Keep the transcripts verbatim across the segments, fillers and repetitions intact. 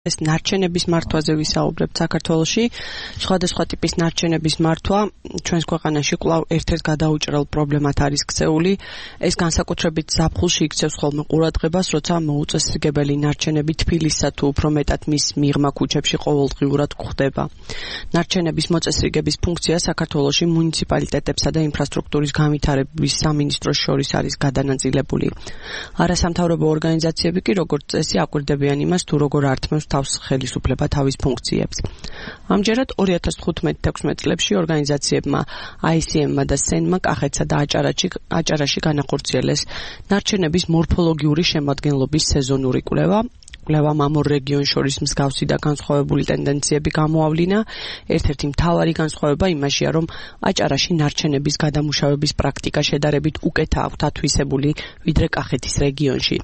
ეს ნარჩენების მართვაზე ვისაუბრებთ საქართველოში. Სხვადასხვა ტიპის ნარჩენების მართვა ჩვენს ქვეყანაში კვლავ ერთ-ერთ გადაუჭრელ პრობლემად არის ქცეული. ეს განსაკუთრებით ზაფხულში იქცევს ხოლმე ყურადღებას, როცა მოუწესრიგებელი ნარჩენები თბილისსა თუ უფრო მეტად მის მიღმა ქუჩებში ყოველდღიურად გვხვდება. ნარჩენების მოწესრიგების ფუნქცია საქართველოში მუნიციპალიტეტებსა და ინფრასტრუქტურის განვითარების სამინისტროს შორის არის გადანაწილებული. არასამთავრობო ორგანიზაციები კი როგორც წესი აკვირდებიან იმას, თუ როგორ ართმევს თავს ხელისუფლება თავის ფუნქციებს. ამჯერად ორი ათას თხუთმეტ თექვსმეტ წლებში ორგანიზაციებმა აი სი ემ-მა და სენ-მა კახეთსა და აჭარაში, აჭარაში განახორციელეს ნარჩენების მორფოლოგიური შემადგენლობის სეზონური კვლევა. კვლევამ ამ ორ რეგიონს შორის მსგავსი და განსხვავებული ტენდენციები გამოავლინა. ერთ-ერთი მთავარი განსხვავება იმაშია, რომ აჭარაში ნარჩენების გადამუშავების პრაქტიკა შედარებით უკეთა აქვთ ათვისებული, ვიდრე კახეთის რეგიონში.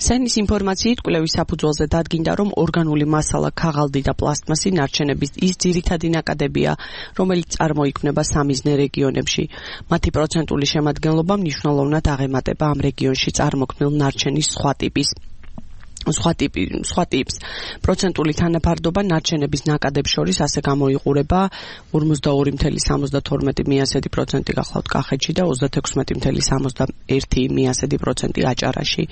სენის ინფორმაციით კვლევის საფუძველზე დადგინდა, რომ ორგანული მასალა, ქაღალდი და პლასტმასი ნარჩენების ის ძირითადი ნაკადებია, რომელიც წარმოიქმნება სამიზნე რეგიონებში. მათი პროცენტული შემადგენლობა მნიშვნელოვნად აღემატება ამ რეგიონში წარმოქმნილ ნარჩენის სხვა ტიპის სხვა ტიპი, სხვა ტიპს. პროცენტული თანაფარდობა ნარჩენების ნაკადებს შორის ასე გამოიყურება ორმოცდაორი წუთი სამოცდათორმეტი მიასედი პროცენტი გახლავთ კახეთში და ოცდათექვსმეტი წუთი სამოცდაერთი მიასედი პროცენტი აჭარაში.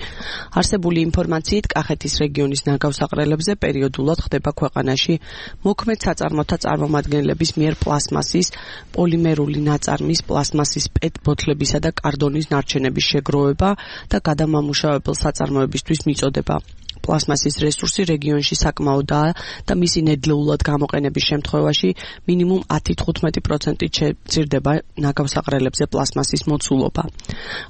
არსებული ინფორმაციით კახეთის რეგიონის ნაგავსაყრელებზე პერიოდულად ხდება ქვეყანაში მოქმედ საწარმოთა წარმომადგენლების მიერ პლასმასის, პოლიმერული ნაწარმის, პლასმასის პეტ ბოთლებისა და კარდონის ნარჩენების შეგროვება და გადამამუშავებელ საწარმოებისთვის მიწოდება. პლასმასის რესურსი რეგიონში საკმაოდაა და მისი ნედლეულად გამოყენების შემთხვევაში მინიმუმ ათი თხუთმეტი პროცენტით შეძირდება ნაგავსაყრელებზე პლასმასის მოცულობა.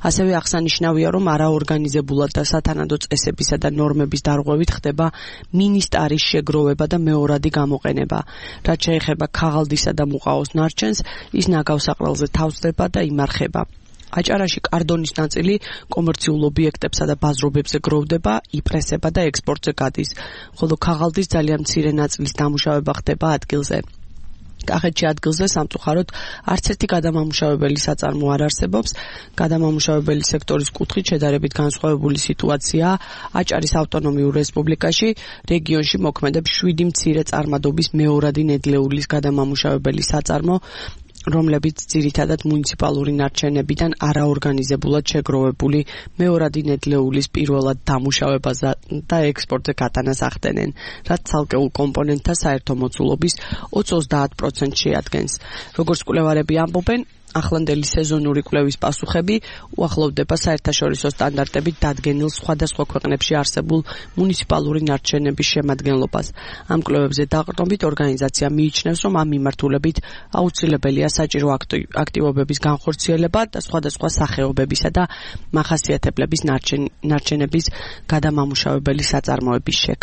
ასევე აღსანიშნავია, რომ არაორგანიზებულად და სათანადო წესებისა და ნორმების დარღვევით ხდება მინისტარის შეგროვება და მეორადი გამოყენება. რაც შეეხება ქაღალდისა და მუყაოს ნარჩენს, ის ნაგავსაყრელზე თავსდება და იმარხება. აჭარაში კარდონის ნაწილი კომერციულ ობიექტებსა და ბაზრობებზე გროვდება, იპრესება და ექსპორტზე გადის, ხოლო ქაღალდის ძალიან მცირე ნაწილის დამუშავება ხდება ადგილზე. კახეთში ადგილზე სამწუხაროდ არც ერთი გადამამუშავებელი საწარმო არ არსებობს. გადამამუშავებელი სექტორის კუთხით შედარებით განსხვავებული სიტუაციაა აჭარის ავტონომიურ რესპუბლიკაში. რეგიონში მოქმედებს შვიდი მცირე წარმადობის მეორადი ნედლეულის გადამამუშავებელი საწარმო, რომლებიც ძირითადად მუნიციპალური ნარჩენებიდან არაორგანიზებულად შეგროვებული მეორადი ნედლეულის პირველად დამუშავებას და ექსპორტზე გატანას ახდენენ, რაც ცალკეულ კომპონენტთა საერთო მოცულობის ოცი ოცდაათ პროცენტს შეადგენს. როგორც კვლევარები ამბობენ, ახლანდელი სეზონური კვლევის პასუხები უახლოვდება საერთაშორისო სტანდარტებით დადგენილ სხვადასხვა ქვეყნებში არსებულ მუნიციპალური ნარჩენების შემადგენლობას. ამ კვლევებზე დაყრდნობით ორგანიზაცია მიიჩნევს, რომ ამ მიმართულებით აუცილებელია საჭირო აქტივობების განხორციელება და სხვადასხვა სახეობებისა და მახასიათებლების ნარჩენების გადამამუშავებელი საწარმოების შექმნა.